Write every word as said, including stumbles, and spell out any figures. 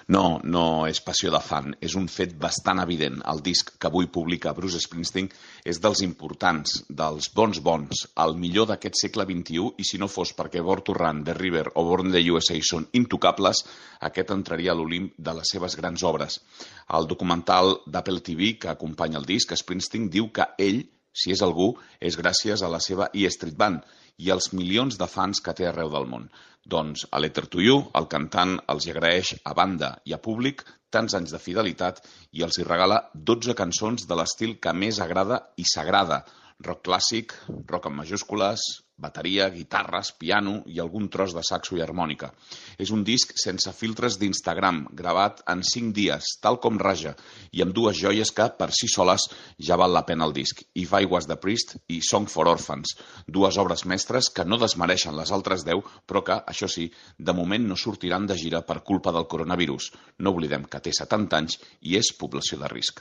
No, no és passió de fan, és un fet bastant evident. El disc que avui publica Bruce Springsteen és dels importants, dels bons bons, el millor d'aquest segle vint-i-u, i si no fos perquè Born to Run, The River o Born in the U S A són intocables, aquest entraria a l'Olimp de les seves grans obres. El documental d'Apple T V que acompanya el disc, Springsteen diu que ell, si és algú, és gràcies a la seva E Street Band i els milions de fans que té arreu del món. Doncs a Letter to You, el cantant els hi agraeix a banda i a públic tants anys de fidelitat i els hi regala dotze cançons de l'estil que més agrada i s'agrada. Rock clàssic, rock amb majúscules, bateria, guitarres, piano i algun tros de saxo i harmònica. És un disc sense filtres d'Instagram, gravat en cinc dies, tal com raja, i amb dues joies que, per si soles, ja val la pena el disc. If I Was the Priest i Song for Orphans, dues obres mestres que no desmereixen les altres deu, però que, això sí, de moment no sortiran de gira per culpa del coronavirus. No oblidem que té setanta anys i és població de risc.